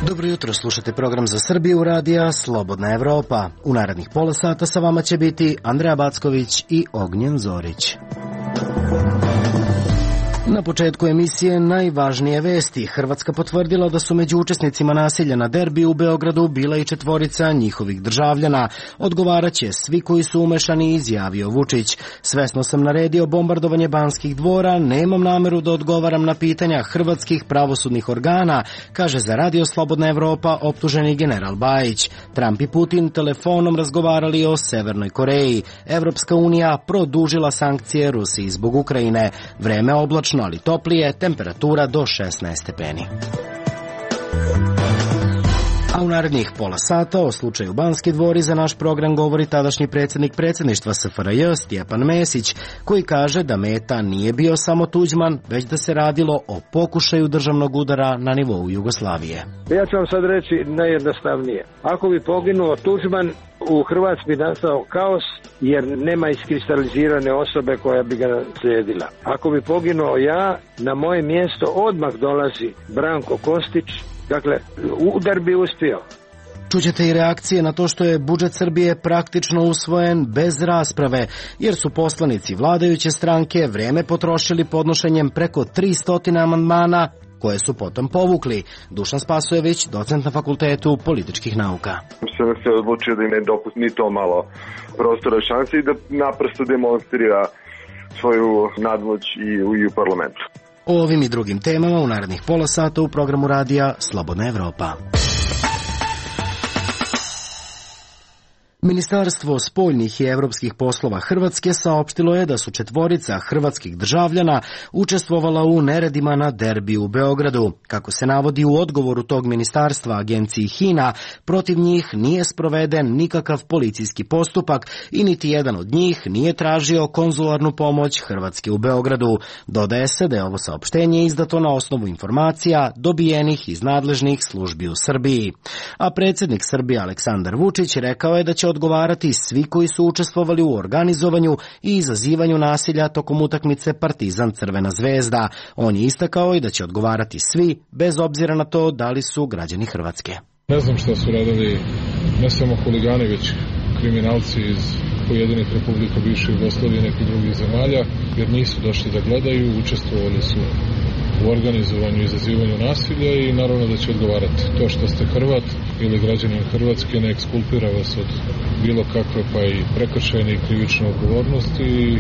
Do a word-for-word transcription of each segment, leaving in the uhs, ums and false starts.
Dobro jutro, slušate program za Srbiju radija Slobodna Evropa. U narednih pola sata sa vama će biti Andreja Backović i Ognjen Zorić. Na početku emisije najvažnije vesti. Hrvatska potvrdila da su među učesnicima nasilja na derbiju u Beogradu bila i četvorica njihovih državljana. Odgovaraće svi koji su umešani, izjavio Vučić. Svesno sam naredio bombardovanje Banskih dvora, nemam nameru da odgovaram na pitanja hrvatskih pravosudnih organa, kaže za Radio Slobodna Evropa optuženi general Bajić. Trump i Putin telefonom razgovarali o Severnoj Koreji. Evropska unija produžila sankcije Rusiji zbog Ukrajine. Vreme oblačno, ali toplije, temperatura do šesnaest stepeni. A u narednih pola sata o slučaju Banski dvori za naš program govori tadašnji predsjednik predsjedništva S F R J Stjepan Mesić, koji kaže da meta nije bio samo Tuđman, već da se radilo o pokušaju državnog udara na nivou Jugoslavije. Ja ću vam sad reći najjednostavnije. Ako bi poginuo Tuđman, u Hrvatskoj bi nastao kaos jer nema iskristalizirane osobe koja bi ga slijedila. Ako bi poginuo ja, na moje mjesto odmah dolazi Branko Kostić. Dakle, udar bi uspio. Čućete i reakcije na to što je budžet Srbije praktično usvojen bez rasprave, jer su poslanici vladajuće stranke vreme potrošili podnošenjem preko tristo amandmana, koje su potom povukli. Dušan Spasojević, docent na Fakultetu političkih nauka. Sam se odlučio da im ne dopusti ni to malo prostora šanse i da naprosto demonstrira svoju nadmoć i u, i u parlamentu. O ovim i drugim temama u narednih pola sata u programu radija Slobodna Evropa. Ministarstvo spoljnih i evropskih poslova Hrvatske saopštilo je da su četvorica hrvatskih državljana učestvovala u neredima na derbiju u Beogradu. Kako se navodi u odgovoru tog ministarstva agenciji H I N A, protiv njih nije sproveden nikakav policijski postupak i niti jedan od njih nije tražio konzularnu pomoć Hrvatske u Beogradu. Dodaje se da je ovo saopštenje izdato na osnovu informacija dobijenih iz nadležnih službi u Srbiji. A predsjednik Srbije Aleksandar Vučić rekao je da će odgovarati svi koji su učestvovali u organizovanju i izazivanju nasilja tokom utakmice Partizan-Crvena zvezda. On je istakao i da će odgovarati svi, bez obzira na to da li su građani Hrvatske. Ne znam šta su radili ne samo huligani, već kriminalci iz pojedinih republika bivše Jugoslavije i nekih drugih zemalja, jer nisu došli da gledaju, učestvovali su u organizovanju i izazivanju nasilja i naravno da će odgovarati. To što ste Hrvat ili građanin Hrvatske ne ekskulpira vas od bilo kakve pa i prekršajne i krivične odgovornosti.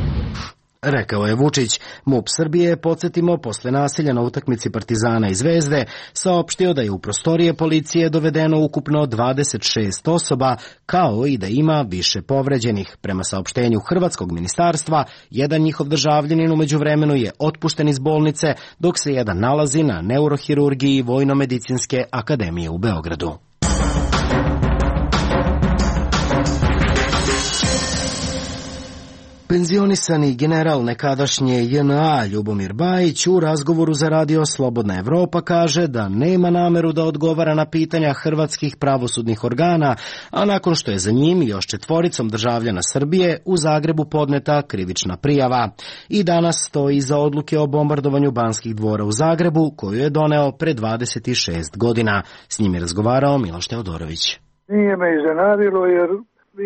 Rekao je Vučić. MUP Srbije, podsjetimo, posle nasilja na utakmici Partizana i Zvezde, saopštio da je u prostorije policije dovedeno ukupno dvadeset šest osoba, kao i da ima više povređenih. Prema saopštenju Hrvatskog ministarstva, jedan njihov državljanin u međuvremenu je otpušten iz bolnice, dok se jedan nalazi na neurohirurgiji Vojno-medicinske akademije u Beogradu. Penzionisani general nekadašnje J N A Ljubomir Bajić u razgovoru za Radio Slobodna Evropa kaže da nema nameru da odgovara na pitanja hrvatskih pravosudnih organa, a nakon što je za njim i još četvoricom državljana Srbije u Zagrebu podneta krivična prijava. I danas stoji iza odluke o bombardovanju Banskih dvora u Zagrebu, koju je doneo pre dvadeset šest godina. S njim je razgovarao Miloš Teodorović. Nije me iznenadilo jer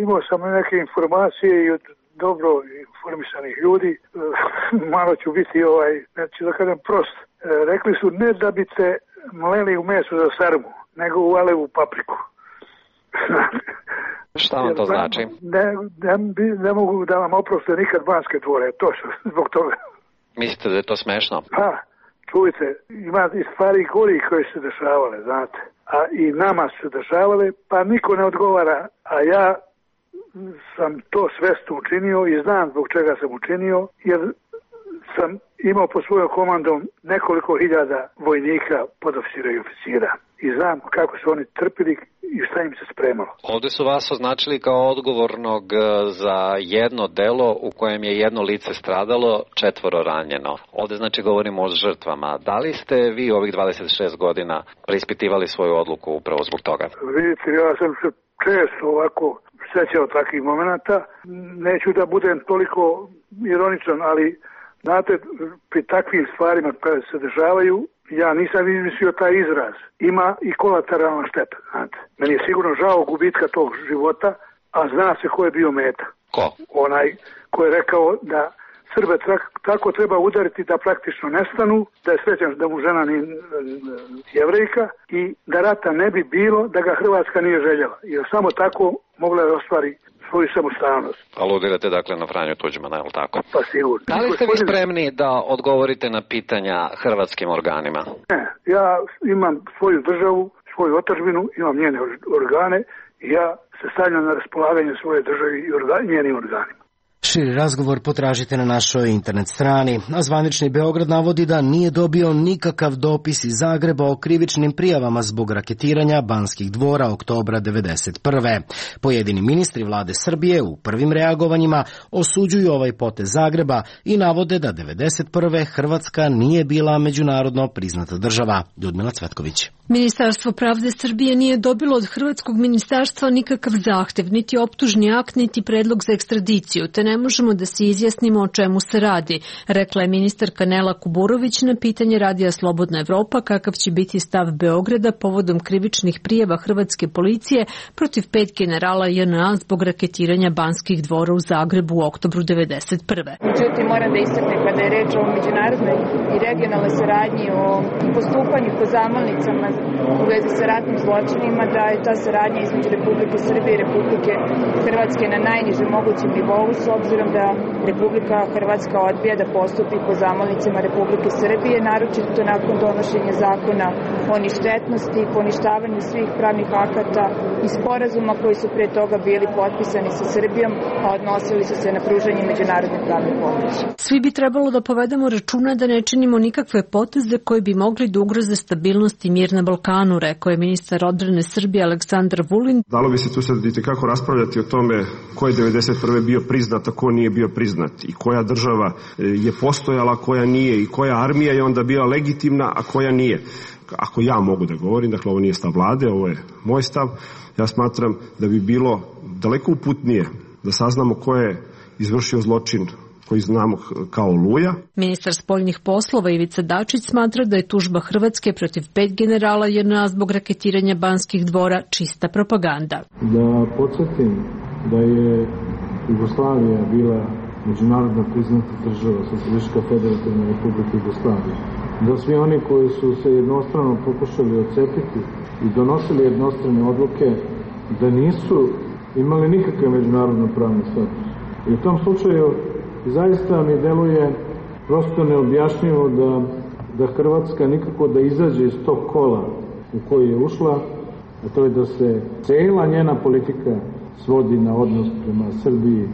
imao sam neke informacije i od dobro informisanih ljudi, malo ću biti ovaj, neću da kažem prost. Rekli su ne da bi te mleli u meso za sarmu, nego u alevu papriku. Šta vam to znači? Ne, ne, ne mogu da vam oproste nikad Banske dvore, to što, zbog toga. Mislite da je to smešno? Pa, čujte, ima i stvari gori koje su se dešavale, znate. A i nama su se dešavale, pa niko ne odgovara, a ja sam to svesno učinio i znam zbog čega sam učinio, jer sam imao pod svojom komandom nekoliko hiljada vojnika, podofisira i oficira. I znam kako su oni trpili i šta im se spremalo. Ovdje su vas označili kao odgovornog za jedno delo u kojem je jedno lice stradalo, četvoro ranjeno. Ovdje znači govorimo o žrtvama. Da li ste vi ovih dvadeset šest godina preispitivali svoju odluku upravo zbog toga? Vidite, ja sam se često ovako sećao takvih momenata. Neću da budem toliko ironičan, ali znate, pri takvim stvarima koje se dešavaju, ja nisam izmislio taj izraz, ima i kolateralna šteta, znate. Meni je sigurno žao gubitka tog života, a zna se ko je bio meta. Ko? Onaj ko je rekao da Srbe tako treba udariti da praktično nestanu, da je srećan da mu žena ni Jevrejka i da rata ne bi bilo da ga Hrvatska nije željela. Jer samo tako mogla je ostvari svoju samostalnost. Aludirate dakle na Franju Tuđmana, je li tako? Pa sigurno. Da li ste vi spremni da odgovorite na pitanja hrvatskim organima? Ne, ja imam svoju državu, svoju otadžbinu, imam njene organe i ja se stavljam na raspolaganje svoje države i organ, njenim organima. Širi razgovor potražite na našoj internet strani, a zvanični Beograd navodi da nije dobio nikakav dopis iz Zagreba o krivičnim prijavama zbog raketiranja Banskih dvora oktobra devedeset prve. Pojedini ministri vlade Srbije u prvim reagovanjima osuđuju ovaj potez Zagreba i navode da devedeset prve Hrvatska nije bila međunarodno priznata država. Ljudmila Cvetković. Ministarstvo pravde Srbije nije dobilo od Hrvatskog ministarstva nikakav zahtev, niti optužni akt, niti predlog za ekstradiciju, te ne možemo da se izjasnimo o čemu se radi, rekla je ministarka Nela Kuburović na pitanje Radija Slobodna Evropa kakav će biti stav Beograda povodom krivičnih prijava hrvatske policije protiv pet generala J N A zbog raketiranja Banskih dvora u Zagrebu u oktobru devedeset prve. Međutim, moram da istaknem kada je reč o međunarodnoj i regionalnoj saradnji, o postupanju po zamolnicama u vezi sa ratnim zločinima, da je ta saradnja između Republike Srbije i Republike Hrvatske na najnižem mogućem nivou, s obzirom da Republika Hrvatska odbija da postupi po zamolnicama Republike Srbije, naročito nakon donošenja zakona o ništetnosti i poništavanju svih pravnih akata i sporazuma koji su pre toga bili potpisani sa Srbijom, a odnosili su se na pružanje međunarodne pravne pomoći. Svi bi trebalo da povedemo računa da ne činimo nikakve poteze koji bi mogli da ugroze stabilnost i mir na Balkanu, rekao je ministar odbrane Srbije Aleksandar Vulin. Dalo bi se tu sad itekako raspravljati o tome ko je devedeset prve bio priznat, a ko nije bio priznat i koja država je postojala, koja nije i koja armija je onda bila legitimna, a koja nije. Ako ja mogu da govorim, dakle ovo nije stav vlade, ovo je moj stav, ja smatram da bi bilo daleko uputnije da saznamo ko je izvršio zločin koji znamo kao Oluja. Ministar spoljnih poslova Ivica Dačić smatra da je tužba Hrvatske protiv pet generala J N A zbog raketiranja Banskih dvora čista propaganda. Da podsjetim da je Jugoslavija bila međunarodno priznata država, Socijalistička federativna republika Jugoslavija. Da svi oni koji su se jednostrano pokušali odcepiti i donosili jednostrane odluke, da nisu imali nikakve međunarodno pravne status. I u tom slučaju zaista mi deluje prosto neobjašnjivo da, da Hrvatska nikako da izađe iz tog kola u koji je ušla, a to je da se cela njena politika svodi na odnos prema Srbiji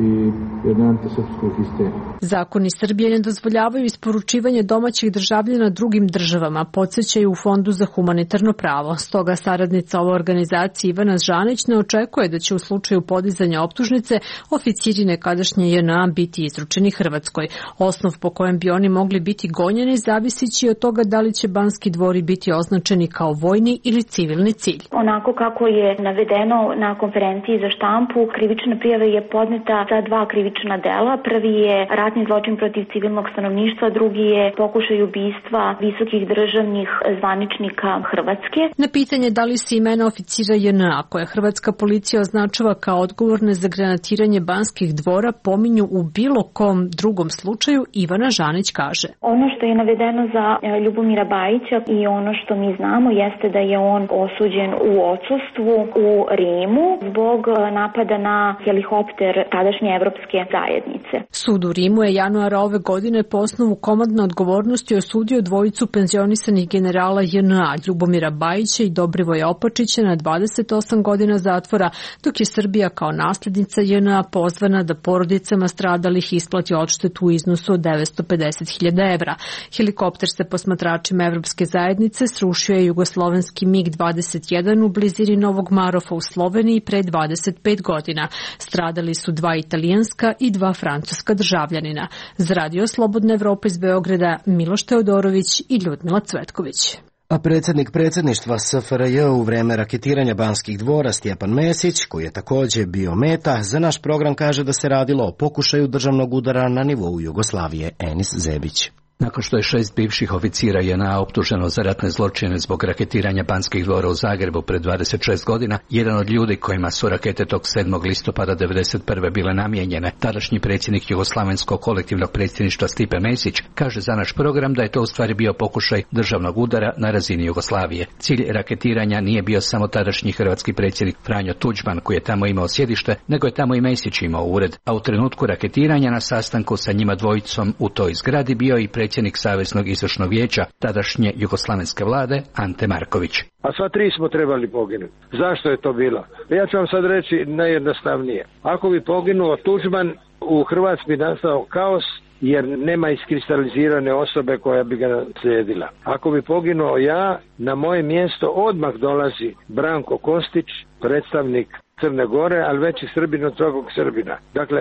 i jedne antisrpskoj histerije. Zakoni Srbije ne dozvoljavaju isporučivanje domaćih državljana drugim državama, podsjećaju u Fondu za humanitarno pravo. Stoga saradnica ove organizacije Ivana Žanić ne očekuje da će u slučaju podizanja optužnice oficiri nekadašnje J N A biti izručeni Hrvatskoj. Osnov po kojem bi oni mogli biti gonjeni zavisići od toga da li će Banski dvori biti označeni kao vojni ili civilni cilj. Onako kako je navedeno na konferenciji za štampu, krivična prijava je podneta za dva krivična dela. Prvi je ratni zločin protiv civilnog stanovništva, drugi je pokušaj ubistva visokih državnih zvaničnika Hrvatske. Na pitanje da li se imena oficira J N A koje hrvatska policija označava kao odgovorne za granatiranje Banskih dvora pominju u bilo kom drugom slučaju, Ivana Žanić kaže. Ono što je navedeno za Ljubomira Bajića i ono što mi znamo jeste da je on osuđen u odsustvu u Rimu zbog napada na helikopter tadašnje evropske zajednice. Sud u Rimu je januara ove godine po osnovu komandne odgovornosti osudio dvojicu penzionisanih generala J N A, Ljubomira Bajića i Dobrivoja Opačića na dvadeset osam godina zatvora, dok je Srbija kao naslednica J N A pozvana da porodicama stradalih isplati odštetu u iznosu od devetsto pedeset hiljada evra. Helikopter sa posmatračima Evropske zajednice srušio je jugoslovenski MiG dvadeset jedan u blizini Novog Marofa u Sloveniji pre dvadeset pet godina. Stradali su dva italijanska i dva francuska državljanina. Za Radio Slobodna Evropa iz Beograda, Miloš Teodorović i Ljudmila Cvetković. A predsjednik predsjedništva S F R J u vreme raketiranja Banskih dvora Stjepan Mesić, koji je također bio meta, za naš program kaže da se radilo o pokušaju državnog udara na nivou Jugoslavije. Enis Zebić. Nakon što je šest bivših oficira J N A optuženo za ratne zločine zbog raketiranja Banskih dvora u Zagrebu pred dvadeset šest godina, jedan od ljudi kojima su rakete tog sedmog listopada devedeset prve bile namijenjene, tadašnji predsjednik Jugoslavenskog kolektivnog predsjedništva Stipe Mesić, kaže za naš program da je to u stvari bio pokušaj državnog udara na razini Jugoslavije. Cilj raketiranja nije bio samo tadašnji hrvatski predsjednik Franjo Tuđman, koji je tamo imao sjedište, nego je tamo i Mesić imao ured, a u trenutku raketiranja na sastanku sa njima dvojicom u toj zgradi bio i predsjednik Saveznog izvršnog vijeća tadašnje jugoslavenske vlade Ante Marković. A sva tri smo trebali poginuti. Zašto je to bilo? Ja ću vam sad reći najjednostavnije. Ako bi poginuo Tuđman, u Hrvatskoj bi nastao kaos, jer nema iskristalizirane osobe koja bi ga slijedila. Ako bi poginuo ja, na moje mjesto odmah dolazi Branko Kostić, predstavnik Crne Gore, ali veći Srbin od svakog Srbina. Dakle,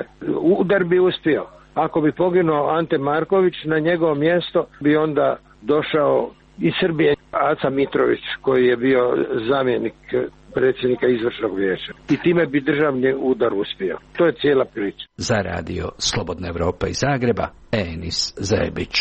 udar bi uspio. Ako bi poginuo Ante Marković, na njegovo mjesto bi onda došao iz Srbije Aca Mitrović, koji je bio zamjenik predsjednika izvršnog vijeća. I time bi državni udar uspio. To je cijela priča. Za radio Slobodna Evropa iz Zagreba, Enis Zebić.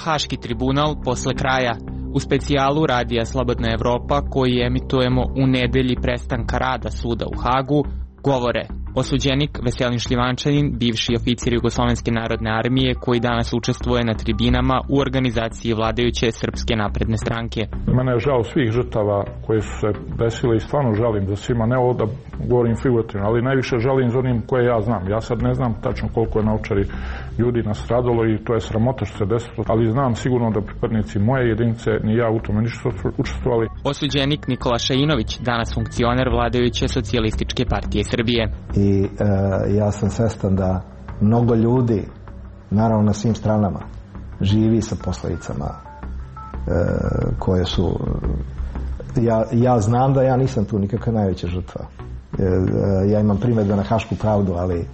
Haški tribunal posle kraja. U specijalu radija Slobodna Evropa, koji emitujemo u nedelji prestanka rada suda u Hagu, govore osuđenik Veselin Šljivančanin, bivši oficir Jugoslovenske narodne armije, koji danas učestvuje na tribinama u organizaciji vladajuće Srpske napredne stranke. Mene je žao svih žrtava koje su se desile i stvarno žalim za svima, ne ovo da govorim figurativno, ali najviše žalim za onim koje ja znam. Ja sad ne znam tačno koliko je na Ovčari ljudi nastradalo i to je sramota što se desilo, ali znam sigurno da pripadnici moje jedinice ni ja u tome nisu učestvovali. Osuđenik Nikola Šainović, danas funkcioner vladajuće Socijalističke partije Srbije. I e, ja sam svestan da mnogo ljudi, naravno na svim stranama, živi sa posljedicama e, koje su... Ja, ja znam da ja nisam tu nikakva najveća žrtva. E, ja imam primjedbe na Hašku pravdu, ali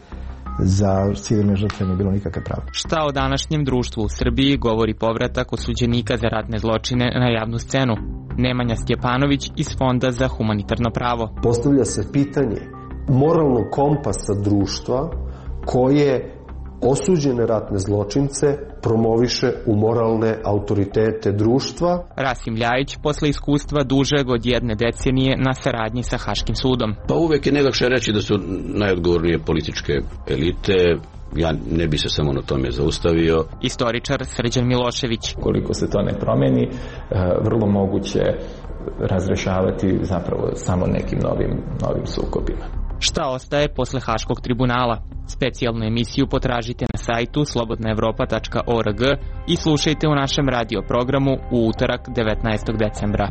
za civilne žrtve nije bilo nikakve pravde. Šta o današnjem društvu u Srbiji govori povratak osuđenika za ratne zločine na javnu scenu? Nemanja Stjepanović iz Fonda za humanitarno pravo. Postavlja se pitanje moralnog kompasa društva koje osuđene ratne zločince promoviše u moralne autoritete društva. Rasim Ljajić, posle iskustva dužeg od jedne decenije na saradnji sa Haškim sudom. Pa uvek je najlakše reći da su najodgovornije političke elite. Ja ne bi se samo na tome zaustavio. Istoričar Srđan Milošević. Koliko se to ne promeni, vrlo moguće razrešavati zapravo samo nekim novim, novim sukobima. Šta ostaje posle Haškog tribunala? Specijalnu emisiju potražite na sajtu slobodna evropa tačka org i slušajte u našem radio programu u utorak devetnaestog decembra.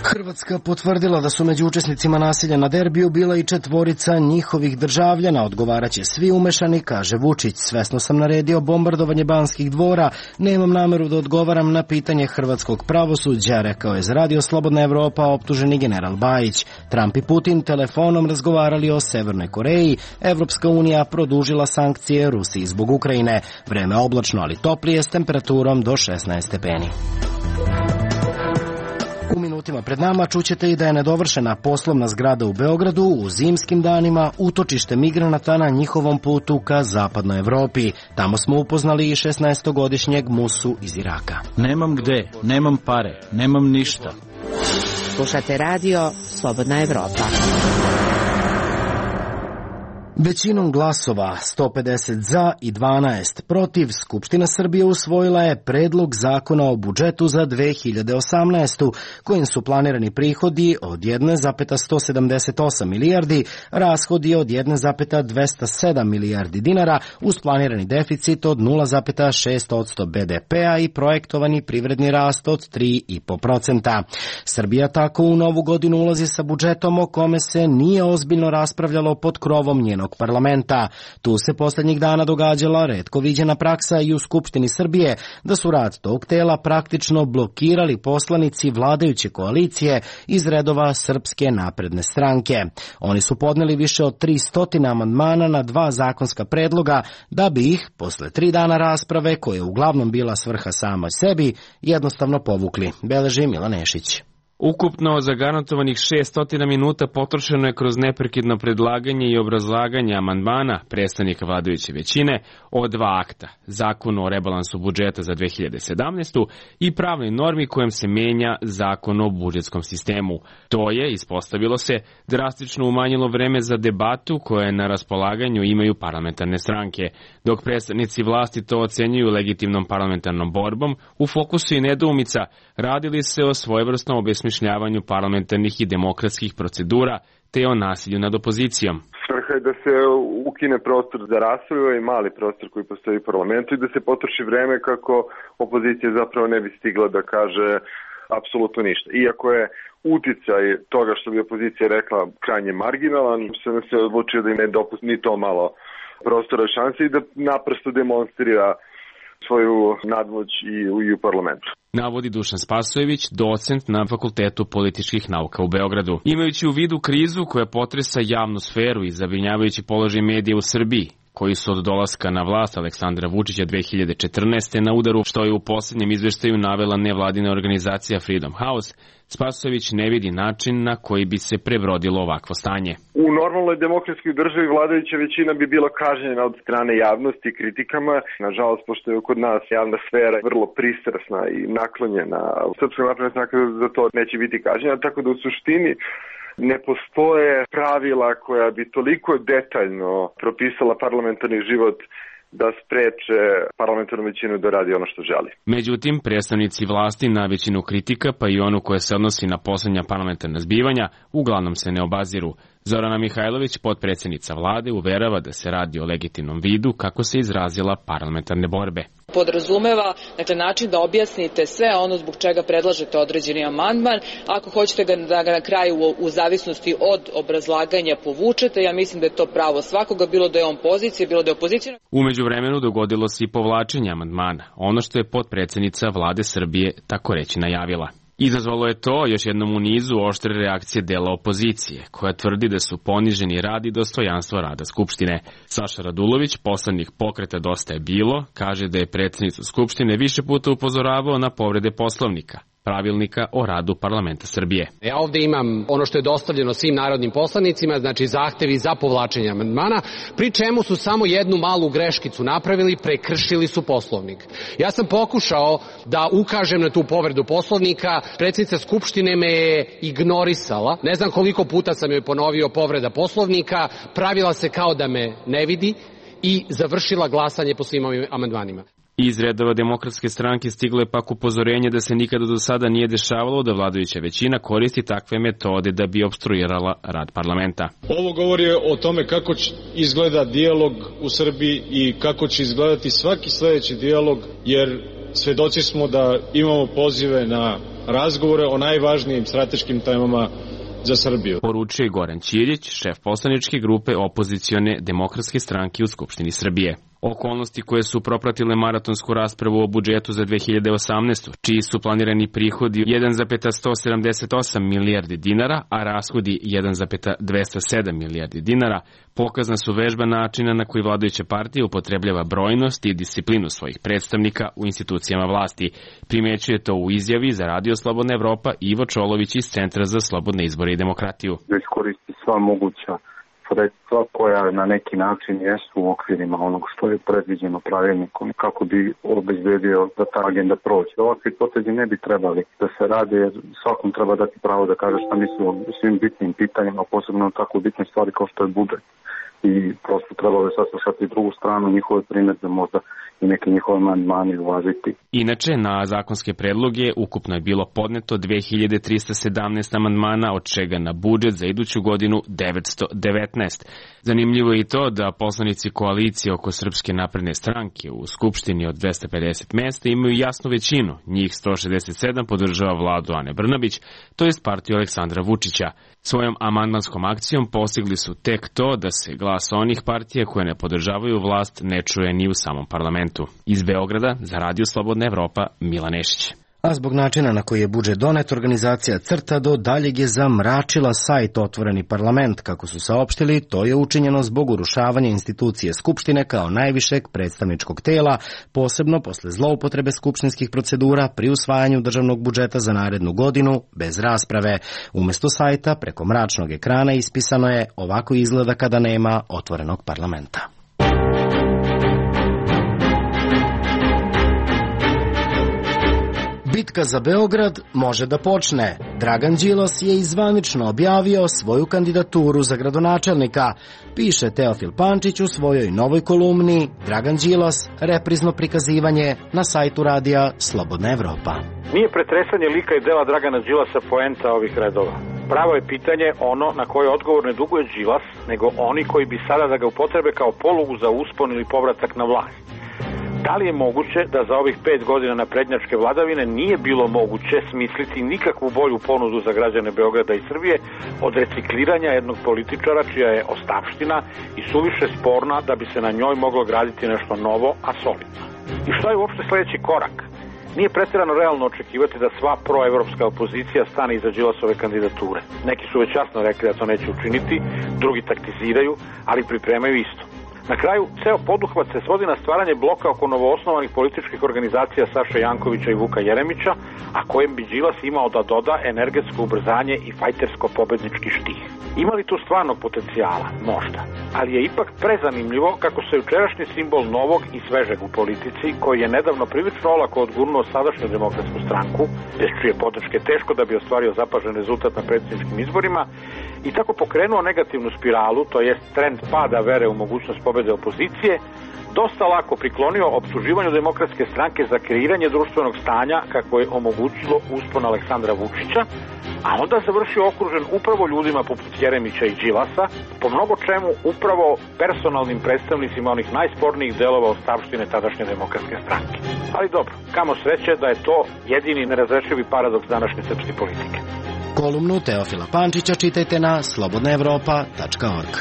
Hrvatska potvrdila da su među učesnicima nasilja na derbiju bila i četvorica njihovih državljana. Odgovaraće svi umešani, kaže Vučić. Svesno sam naredio bombardovanje Banskih dvora, nemam nameru da odgovaram na pitanje hrvatskog pravosuđa, rekao je za radio Slobodna Evropa optuženi general Bajić. Trump i Putin telefonom razgovarali o Severnoj Koreji. Evropska unija produžila sankcije Rusiji zbog Ukrajine. Vreme oblačno, ali toplije s temperaturom do šesnaest stepeni. U minutima pred nama čućete i da je nedovršena poslovna zgrada u Beogradu u zimskim danima utočište migranata na njihovom putu ka zapadnoj Evropi. Tamo smo upoznali i šesnaestogodišnjeg Musu iz Iraka. Nemam gde, nemam pare, nemam ništa. Slušate radio Slobodna Evropa. Većinom glasova, sto pedeset za i dvanaest protiv, Skupština Srbije usvojila je predlog zakona o budžetu za dve hiljade osamnaestu. kojim su planirani prihodi od jedna zarez sto sedamdeset osam milijardi, rashodi od jedna zarez dvesta sedam milijardi dinara, uz planirani deficit od nula zarez šest posto be de pea i projektovani privredni rast od tri zarez pet posto. Srbija tako u novu godinu ulazi sa budžetom o kome se nije ozbiljno raspravljalo pod krovom njenog parlamenta. Tu se posljednjih dana događala retko viđena praksa i u Skupštini Srbije da su rad tog tela praktično blokirali poslanici vladajuće koalicije iz redova Srpske napredne stranke. Oni su podneli više od tristo amandmana na dva zakonska predloga da bi ih, posle tri dana rasprave, koja je uglavnom bila svrha samoj sebi, jednostavno povukli, beleži Milan Nešić. Ukupno zagarantovanih šesnaest minuta potrošeno je kroz neprekidno predlaganje i obrazlaganje amandmana predstavnika vladajuće većine o dva akta, Zakon o rebalansu budžeta za dve hiljade sedamnaestu. i pravnoj normi kojom se menja Zakon o budžetskom sistemu. To je, ispostavilo se, drastično umanjilo vreme za debatu koje na raspolaganju imaju parlamentarne stranke. Dok predstavnici vlasti to ocenjuju legitimnom parlamentarnom borbom, u fokusu i nedoumica radili se o svojevrsnom obesmišljavanju parlamentarnih i demokratskih procedura te o nasilju nad opozicijom. Svrha je da se ukine prostor za raspravu i mali prostor koji postoji u parlamentu i da se potroši vreme kako opozicija zapravo ne bi stigla da kaže apsolutno ništa. Iako je uticaj toga što bi opozicija rekla krajnje marginalan, sam se odlučio da im ne dopusti ni to malo prostora šanse i da naprosto demonstrira svoju nadmoć i u, i u parlamentu. Navodi Dušan Spasojević, docent na Fakultetu političkih nauka u Beogradu. Imajući u vidu krizu koja potresa javnu sferu i zabrinjavajući položaj medija u Srbiji, koji su od dolaska na vlast Aleksandra Vučića dve hiljade četrnaeste. na udaru, što je u poslednjem izveštaju navela nevladina organizacija Freedom House, Spasojević ne vidi način na koji bi se prebrodilo ovakvo stanje. U normalnoj demokratskoj državi vladajuća većina bi bila kažnjena od strane javnosti i kritikama. Nažalost, pošto je kod nas javna sfera vrlo pristrasna i naklonjena, Srpska napredna stranka za to neće biti kažnjena, tako da u suštini ne postoje pravila koja bi toliko detaljno propisala parlamentarni život da spreče parlamentarnu većinu da radi ono što želi. Međutim, predstavnici vlasti na većinu kritika, pa i onu koja se odnosi na poslednja parlamentarna zbivanja, uglavnom se ne obaziru. Zorana Mihajlović, potpredsednica vlade, uverava da se radi o legitimnom vidu, kako se izrazila, parlamentarne borbe. Podrazumeva, dakle, način da objasnite sve ono zbog čega predlažete određeni amandman. Ako hoćete ga, da ga na kraju u, u zavisnosti od obrazlaganja povučete, ja mislim da je to pravo svakoga, bilo da je on pozicija, bilo da je opozicija. Umeđu vremenu dogodilo se i povlačenje amandmana, ono što je potpredsednica vlade Srbije tako reći najavila. Izazvalo je to još jednom u nizu oštre reakcije dela opozicije, koja tvrdi da su poniženi rad i dostojanstvo rada Skupštine. Saša Radulović, poslanik Pokreta Dosta je bilo, kaže da je predsednicu Skupštine više puta upozoravao na povrede Poslovnika, pravilnika o radu parlamenta Srbije. Ja ovde imam ono što je dostavljeno svim narodnim poslanicima, znači zahtevi za povlačenje amandmana, pri čemu su samo jednu malu greškicu napravili, prekršili su Poslovnik. Ja sam pokušao da ukažem na tu povredu Poslovnika, predsjednica Skupštine me je ignorisala, ne znam koliko puta sam joj ponovio povreda Poslovnika, pravila se kao da me ne vidi i završila glasanje po svim ovim amandmanima. Iz redova Demokratske stranke stiglo je pak upozorenje da se nikada do sada nije dešavalo da vladajuća većina koristi takve metode da bi opstruirala rad parlamenta. Ovo govori o tome kako izgleda dijalog u Srbiji i kako će izgledati svaki sledeći dijalog, jer svedoci smo da imamo pozive na razgovore o najvažnijim strateškim temama za Srbiju. Poručuje Goran Ćirić, šef poslaničke grupe opozicione Demokratske stranke u Skupštini Srbije. Okolnosti koje su propratile maratonsku raspravu o budžetu za dve hiljade osamnaestu. čiji su planirani prihodi jedan zarez sto sedamdeset osam milijardi dinara, a rashodi jedan zarez dvesta sedam milijardi dinara, pokazna su vežba načina na koji vladajuća partija upotrebljava brojnost i disciplinu svojih predstavnika u institucijama vlasti. Primećuje to u izjavi za Radio Slobodna Evropa Ivo Čolović iz Centra za slobodne izbore i demokratiju. Da iskoristi sva moguća sredstva koja na neki način jesu u okvirima onog što je predviđeno pravilnikom kako bi obezbedio da ta agenda prođe. Ovakvi potezi ne bi trebali da se rade, jer svakom treba dati pravo da kaže šta misli o svim bitnim pitanjima, posebno tako bitne stvari kao što je budžet. I prosto trebalo je saslušati drugu stranu, njihove primedbe, možda i neke njihove amandmani uvažiti. Inače, na zakonske predloge ukupno je bilo podneto dve hiljade trista sedamnaest amandmana, od čega na budžet za iduću godinu devetsto devetnaest. Zanimljivo je i to da poslanici koalicije oko Srpske napredne stranke u Skupštini od dvesta pedeset mesta imaju jasnu većinu, njih sto šezdeset sedam podržava vladu Ane Brnabić, to jest partiju Aleksandra Vučića. Svojom amandmanskom akcijom postigli su tek to da se glas onih partija koje ne podržavaju vlast ne čuje ni u samom parlamentu. Iz Beograda za Radio Slobodna Evropa, Milan Nešić. A zbog načina na koji je budžet donet, organizacija CRTA do daljeg je zamračila sajt Otvoreni parlament. Kako su saopštili, to je učinjeno zbog urušavanja institucije Skupštine kao najvišeg predstavničkog tela, posebno posle zloupotrebe skupštinskih procedura pri usvajanju državnog budžeta za narednu godinu bez rasprave. Umesto sajta, preko mračnog ekrana ispisano je ovako izgleda kada nema otvorenog parlamenta. Bitka za Beograd može da počne. Dragan Đilas je izvanično objavio svoju kandidaturu za gradonačelnika, piše Teofil Pančić u svojoj novoj kolumni Dragan Đilas, reprizno prikazivanje na sajtu radija Slobodna Evropa. Nije pretresanje lika i dela Dragana Đilasa poenta ovih redova. Pravo je pitanje ono na koje odgovor ne duguje Đilas, nego oni koji bi sada da ga upotrebe kao polugu za uspon ili povratak na vlast. Da li je moguće da za ovih pet godina naprednjačke vladavine nije bilo moguće smisliti nikakvu bolju ponudu za građane Beograda i Srbije od recikliranja jednog političara čija je ostavština i suviše sporna da bi se na njoj moglo graditi nešto novo, a solidno? I šta je uopšte sledeći korak? Nije pretjerano realno očekivati da sva proevropska opozicija stane iza Đilasove kandidature. Neki su već jasno rekli da to neće učiniti, drugi taktiziraju, ali pripremaju isto. Na kraju, ceo poduhvat se svodi na stvaranje bloka oko novoosnovanih političkih organizacija Saše Jankovića i Vuka Jeremića, a kojem bi Đilas imao da doda energetsko ubrzanje i fajtersko-pobednički štih. Ima li tu stvarnog potencijala? Možda. Ali je ipak prezanimljivo kako se jučerašnji simbol novog i svežeg u politici, koji je nedavno prilično olako odgurnuo sadašnju demokratsku stranku, bez čije podrške teško da bi ostvario zapažen rezultat na predsjedničkim izborima, i tako pokrenuo negativnu spiralu, to jest trend pada vere u mogućnost pobede opozicije, dosta lako priklonio optuživanju demokratske stranke za kreiranje društvenog stanja kako je omogućilo uspon Aleksandra Vučića, a onda završio okružen upravo ljudima poput Jeremića i Đilasa, po mnogo čemu upravo personalnim predstavnicima onih najspornijih delova ostavštine tadašnje demokratske stranke. Ali dobro, kamo sreće da je to jedini nerazrešivi paradoks današnje srpske politike. Kolumnu Teofila Pančića čitajte na slobodna evropa tačka org.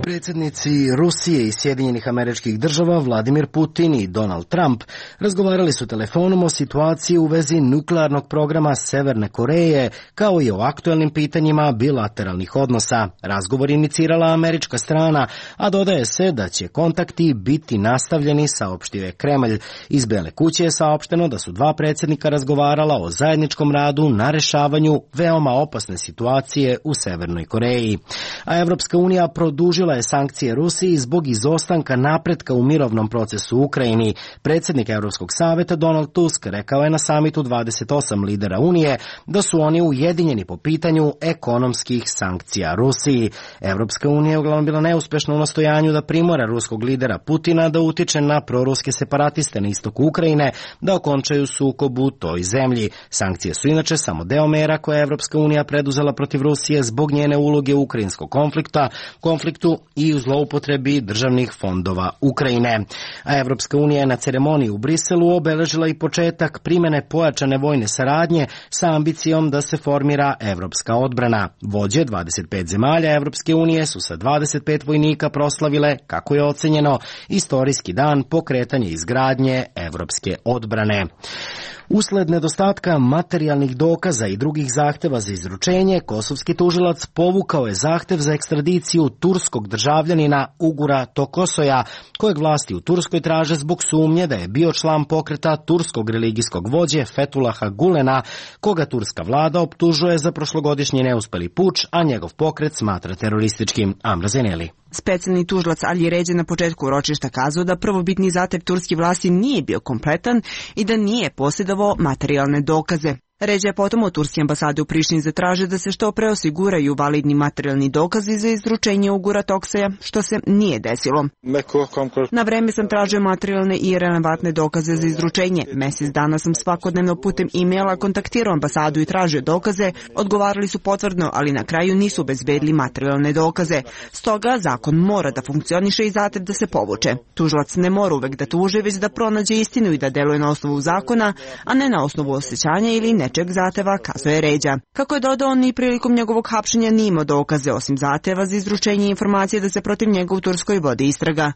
Predsjednici Rusije i Sjedinjenih Američkih Država Vladimir Putin i Donald Trump razgovarali su telefonom o situaciji u vezi nuklearnog programa Severne Koreje, kao i o aktuelnim pitanjima bilateralnih odnosa. Razgovor inicirala američka strana, a dodaje se da će kontakti biti nastavljeni, saopštio je Kremlj. Iz Bele kuće je saopšteno da su dva predsjednika razgovarala o zajedničkom radu na rešavanju veoma opasne situacije u Severnoj Koreji. A Evropska unija produžila je sankcije Rusiji zbog izostanka napretka u mirovnom procesu u Ukrajini. Predsjednik Evropskog saveta Donald Tusk rekao je na samitu dvadeset osam lidera Unije da su oni ujedinjeni po pitanju ekonomskih sankcija Rusiji. Evropska unija je uglavnom bila neuspešna u nastojanju da primora ruskog lidera Putina da utiče na proruske separatiste na istoku Ukrajine da okončaju sukob u toj zemlji. Sankcije su inače samo deo mera koje je Evropska unija preduzela protiv Rusije zbog njene uloge u ukrajinskog konflikta, konfliktu i u zloupotrebi državnih fondova Ukrajine. A Evropska unija je na ceremoniji u Briselu obeležila i početak primene pojačane vojne saradnje sa ambicijom da se formira evropska odbrana. Vođe dvadeset pet zemalja Evropske unije su sa dvadeset pet vojnika proslavile, kako je ocenjeno, istorijski dan pokretanja izgradnje evropske odbrane. Usled nedostatka materijalnih dokaza i drugih zahteva za izručenje, kosovski tužilac povukao je zahtev za ekstradiciju turskog državljanina Ugura Tokosoja, kojeg vlasti u Turskoj traže zbog sumnje da je bio član pokreta turskog religijskog vođe Fethulaha Gulena, koga turska vlada optužuje za prošlogodišnji neuspeli puč, a njegov pokret smatra terorističkim. Amra Zeneli. Specijalni tužilac Ali Ređe na početku ročišta kazao da prvobitni zahtev turske vlasti nije bio kompletan i da nije posjedovao materijalne dokaze. Ređe je potom od turske ambasade u Prištini zatražio da se što pre osiguraju validni materijalni dokazi za izručenje Ugura Toksaja, što se nije desilo. Na vreme sam tražio materijalne i relevantne dokaze za izručenje. Mesec dana sam svakodnevno putem e-maila kontaktirao ambasadu i tražio dokaze, odgovarali su potvrdno, ali na kraju nisu obezbedili materijalne dokaze. Stoga zakon mora da funkcioniše i zahtev da se povuče. Tužilac ne mora uvek da tuži, već da pronađe istinu i da deluje na osnovu zakona, a ne na osnovu osjećanja ili ne nečeg zahteva, kazuje Ređa. Kako je dodao, ni prilikom njegovog hapšenja nije imao dokaze osim zahteva za izručenje informacije da se protiv njega u Turskoj vodi istraga.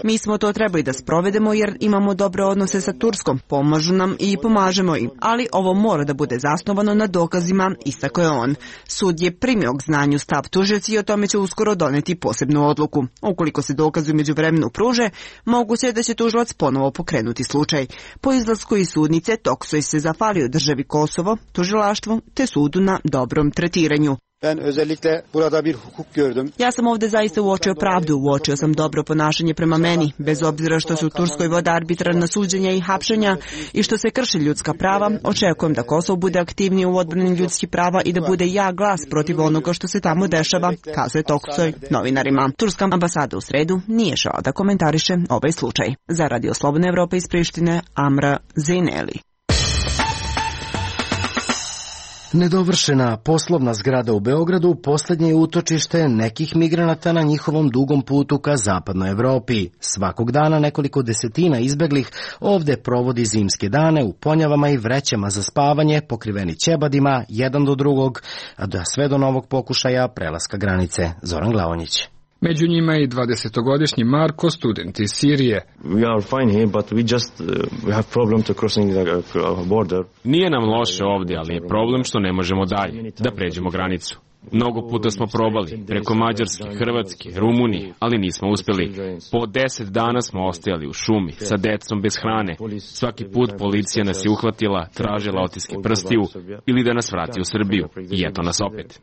Mi smo to trebali da sprovedemo jer imamo dobre odnose sa Turskom, pomažu nam i pomažemo im, ali ovo mora da bude zasnovano na dokazima, istakao je on. Sud je primio k znanju stav tužioci i o tome će uskoro doneti posebnu odluku. Ukoliko se dokazi u međuvremenu pruže, moguće je da će tužilac ponovo pokrenuti slučaj. Po izlasku iz sudnice Toksoj se zahvalio državi Kosovo, tužilaštvu te sudu na dobrom tretiranju. Ja sam ovde zaista uočio pravdu, uočio sam dobro ponašanje prema meni, bez obzira što su u Turskoj vode arbitrarna suđenja i hapšenja i što se krši ljudska prava, očekujem da Kosovo bude aktivnije u odbrani ljudskih prava i da bude ja glas protiv onoga što se tamo dešava, kazuje Toksoj novinarima. Turska ambasada u sredu nije žao da komentariše ovaj slučaj. Za Radio Slobodna Evropa iz Prištine, Amra Zejneli. Nedovršena poslovna zgrada u Beogradu poslednje je utočište nekih migranata na njihovom dugom putu ka zapadnoj Evropi. Svakog dana nekoliko desetina izbeglih ovde provodi zimske dane u ponjavama i vrećama za spavanje, pokriveni ćebadima, jedan do drugog, a da sve do novog pokušaja prelaska granice. Zoran Glavonjić. Među njima je i dvadesetogodišnji Marko, student iz Sirije. Nije nam loše ovdje, ali je problem što ne možemo dalje, da pređemo granicu. Mnogo puta smo probali, preko Mađarske, Hrvatske, Rumunije, ali nismo uspeli. Po deset dana smo ostajali u šumi, sa decom bez hrane. Svaki put policija nas je uhvatila, tražila otiske prstiju ili da nas vrati u Srbiju. I eto nas opet.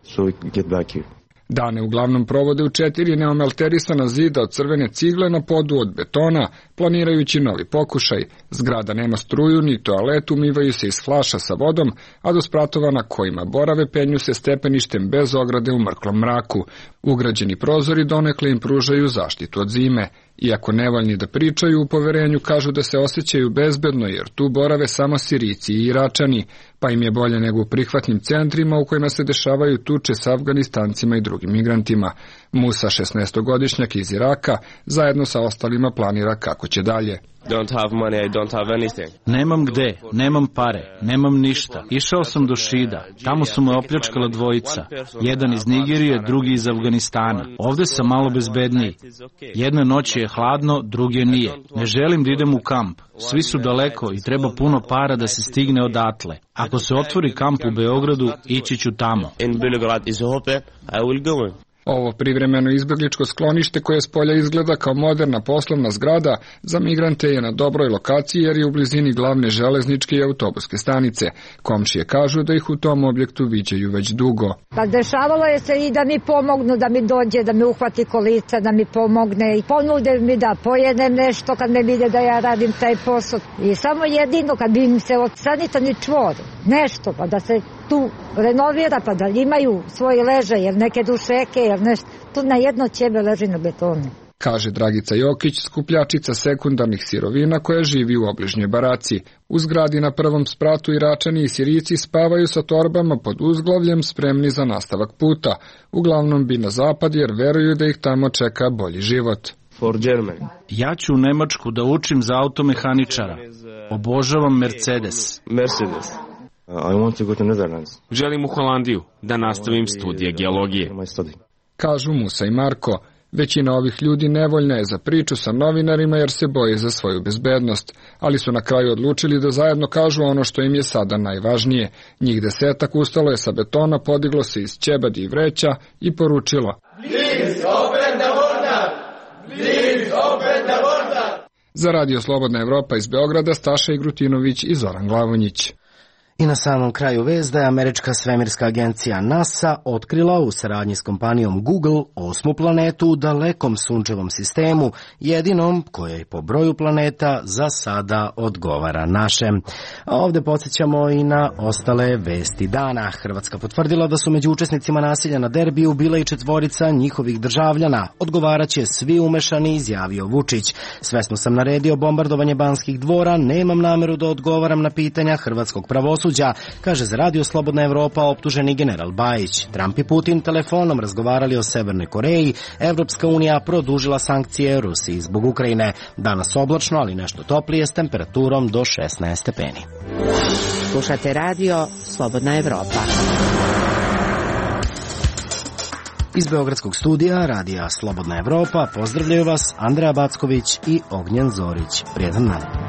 Dane uglavnom provode u četiri neomalterisana zida od crvene cigle na podu od betona, planirajući novi pokušaj. Zgrada nema struju ni toalet, umivaju se iz flaša sa vodom, a do spratova na kojima borave penju se stepeništem bez ograde u mrklom mraku. Ugrađeni prozori donekle im pružaju zaštitu od zime. Iako nevoljni da pričaju, u poverenju kažu da se osjećaju bezbedno jer tu borave samo Sirijci i Iračani, pa im je bolje nego u prihvatnim centrima u kojima se dešavaju tuče s Afganistancima i drugim migrantima. Musa, šesnaestogodišnjak iz Iraka, zajedno sa ostalima planira kako će dalje. Don't have money, I don't have anything. Nemam gde, nemam pare, nemam ništa. Išao sam do Šida, tamo su me opljačkala dvojica. Jedan iz Nigerije, drugi iz Afganistana. Ovde sam malo bezbedniji. Jedna noć je hladno, druge nije. Ne želim da idem u kamp. Svi su daleko i treba puno para da se stigne odatle. Ako se otvori kamp u Beogradu, ići ću tamo. In Belgrad is open, I will go. Ovo privremeno izbegličko sklonište koje s polja izgleda kao moderna poslovna zgrada za migrante je na dobroj lokaciji jer je u blizini glavne železničke i autobuske stanice. Komšije kažu da ih u tom objektu viđaju već dugo. Pa dešavalo je se i da mi pomognu, da mi dođe, da mi uhvati kolica, da mi pomogne i ponude mi da pojedem nešto kad me vide da ja radim taj posao. I samo jedino kad bi im se od sanitarni čvor, nešto pa da se tu renovira pa da imaju svoje leže, jer neke dušeke, jer nešto, tu na jedno ćebe leži na betonu. Kaže Dragica Jokić, skupljačica sekundarnih sirovina koja živi u obližnjoj baraci. U zgradi na prvom spratu Iračani i Sirijci spavaju sa torbama pod uzglavljem spremni za nastavak puta. Uglavnom bi na zapad jer veruju da ih tamo čeka bolji život. For Germany. Ja ću u Nemačku da učim za automehaničara. Obožavam Mercedes. Mercedes. I want to go to Netherlands. Želim u Holandiju da nastavim studije geologije. Kažu Musa i Marko. Većina ovih ljudi nevoljna je za priču sa novinarima jer se boje za svoju bezbednost, ali su na kraju odlučili da zajedno kažu ono što im je sada najvažnije. Njih desetak ustalo je sa betona, podiglo se iz ćebadi i vreća i poručilo: Please open the border! Please open the border! Za Radio Slobodna Evropa iz Beograda, Staša Igrutinović i Zoran Glavonjić. I na samom kraju vest da je američka svemirska agencija NASA otkrila u saradnji s kompanijom Google osmu planetu u dalekom sunčevom sistemu, jedinom koja po broju planeta za sada odgovara našem. A ovde podsjećamo i na ostale vesti dana. Hrvatska potvrdila da su među učesnicima nasilja na derbiju bila i četvorica njihovih državljana. Odgovaraće svi umešani, izjavio Vučić. Svesno sam naredio bombardovanje Banskih dvora, nemam nameru da odgovaram na pitanja hrvatskog pravosuđa, pravosuđa, kaže za Radio Slobodna Evropa optuženi general Bajić. Trump i Putin telefonom razgovarali o Severnoj Koreji, Evropska unija produžila sankcije Rusiji zbog Ukrajine. Danas oblačno, ali nešto toplije s temperaturom do šesnaest stepeni. Slušate Radio Slobodna Evropa. Iz Beogradskog studija Radija Slobodna Evropa pozdravljaju vas Andreja Backović i Ognjen Zorić. Prijetan dan.